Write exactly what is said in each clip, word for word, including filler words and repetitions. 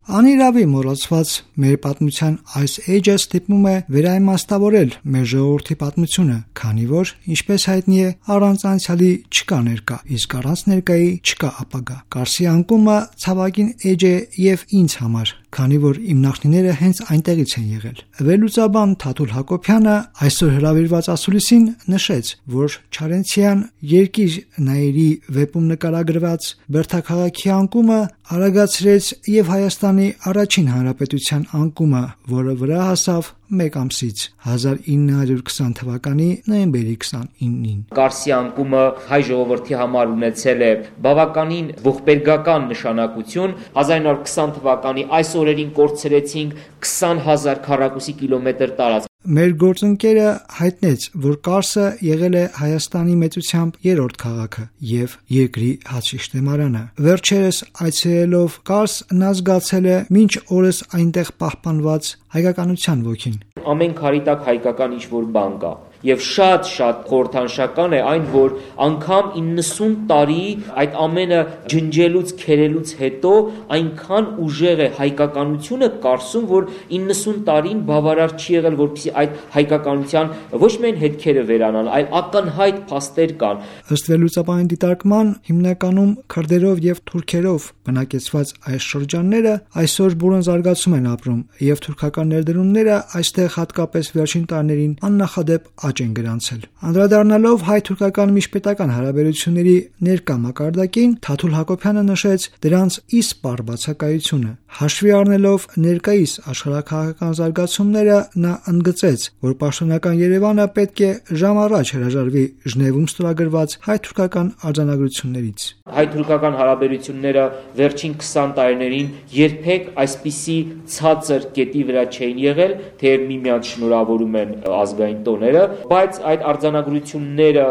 Անիրավի մոռացված մեր պատմության այս էջը ստիպում է վերաիմաստավորել մեր ժողովրդի պատմությունը, քանի որ, ինչպես հայտնի է, առանց անցյալի չկա ներկա, իսկ առանց ներկայի չկա ապագա։ Կարսի անկումը ցավագին էջ է եւ ինձ համար, քանի որ իմ նախնիները հենց այնտեղից են եղել։ Վերլուծաբան Թաթուլ Հակոբյանը այսօր հրավիրված ասուլիսին նշեց, որ Չարենցյան երկիր նայերի վեպում նկարագրված Բերդաքաղաքի անկումը արագացրեց եւ Հայաստանի առաջին հանրապետության անկումը, որը վրա հասավ մեկ ամսից հազար ինը հարյուր քսան թվականի նոյեմբերի քսանինին։ Կարսի անկումը հայ ժողովրդի համար ունեցել է բավականին ողբերգական նշանակություն։ հազար ինը հարյուր քսան թվականի այս օրերին կորցրեցինք քսան հազար քառակուսի կիլոմետր տարածք։ Մեր գործընկերը հայտնեց, որ Կարսը եղել է Հայաստանի մեծությամբ երրորդ քաղաքը եւ երկրի հացշիշտեմարանը։ Վերջերս այցելելով Կարս նա զգացել է մինչ օրս այնտեղ պահպանված հայկականության ոգին։ Ամեն քարի տակ հայկական ինչ-որ բան կա։ Եվ շատ-շատ խորհրդանշական է այն, որ անգամ իննսուն տարի այդ ամենը ջնջելուց, քերելուց հետո այնքան ուժեղ է հայկականությունը Կարսում, որ իննսուն տարին բավարար չի եղել, որպեսզի այդ հայկականության ոչ միայն հետքերը վերանան, այլ ակնհայտ փաստեր կան։ Ըստ վերլուծաբանի դիտարկման, հիմնականում քրդերով եւ թուրքերով բնակեցված այս շրջանները այսօր բուրըն զարգացում են ապրում, եւ թուրքական ներդրումները այստեղ հատկապես վերջին տարիներին աննախադեպ աճ են գրանցել։ Անդրադառնալով հայ-թուրքական միջպետական հարաբերությունների ներկա մակարդակին, Թաթուլ Հակոբյանը նշեց դրանց իսպառ բացակայությունը։ Հաշվի առնելով ներկայիս աշխարհաքաղաքական զարգացումները, նա ընդգծեց, որ պաշտոնական Երևանը պետք է ժամ առաջ հրաժարվի Ժնևում ստորագրված հայ-թուրքական արձանագրություններից։ Հայ-թուրքական հարաբերությունները վերջին քսան տարիներին երբեք այսպիսի ցածր կետի վրա չէին եղել, թեև միմյանց շնորհավորում են ազգային տոները, բայց այդ արձանագրությունները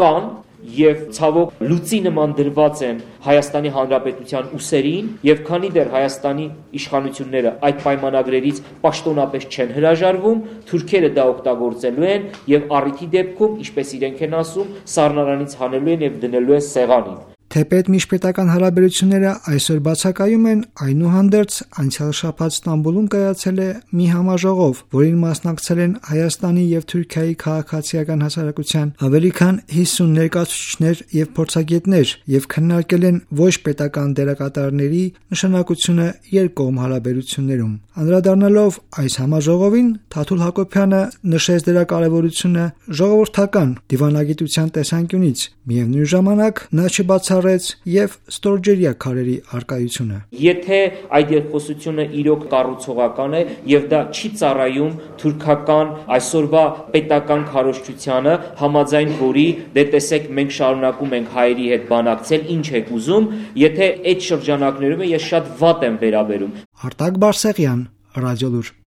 կան եւ ցավոք լուծի նման դրված են Հայաստանի Հանրապետության ուսերին, եւ քանի դեռ Հայաստանի իշխանությունները այդ պայմանագրերից պաշտոնապես չեն հրաժարվում, թուրքերը դա օգտագործելու են եւ առիթի դեպքում, ինչպես իրենք են ասում, սառնարանից հանելու են եւ դնելու են սեղանին։ Թեպետ միջպետական հարաբերությունները այսօր բացակայում են, այնուհանդերձ անցյալ շաբաթ Ստամբուլում կայացել է մի համաժողով, որին մասնակցել են Հայաստանի եւ Թուրքիայի քաղաքացիական հասարակության ավելի քան հիսուն ներկայացուցիչներ եւ փորձագետներ եւ քննարկել են ոչ պետական դերակատարների նշանակությունը երկկողմ հարաբերություններում։ Անդրադառնալով այս համաժողովին, Թաթուլ Հակոբյանը նշեց դրա կարևորությունը ժողովրդական դիվանագիտության տեսանկյունից, միևնույն ժամանակ նա չբացառեց եւ ստորջրյա քարերի արկայությունը։ Եթե այդ երկխոսությունը իրոք կառուցողական է եւ դա չի ծառայում թուրքական այսօրվա պետական քարոզչությանը, համաձայն որի դե տեսեք մենք շարունակում ենք հայերի հետ բանակցել, ինչ եք ուզում, եթե այդ շրջանակներում ես շատ վատ եմ վերաբերում։ Արտակ Բարսեղյան, Ռադիոլուր։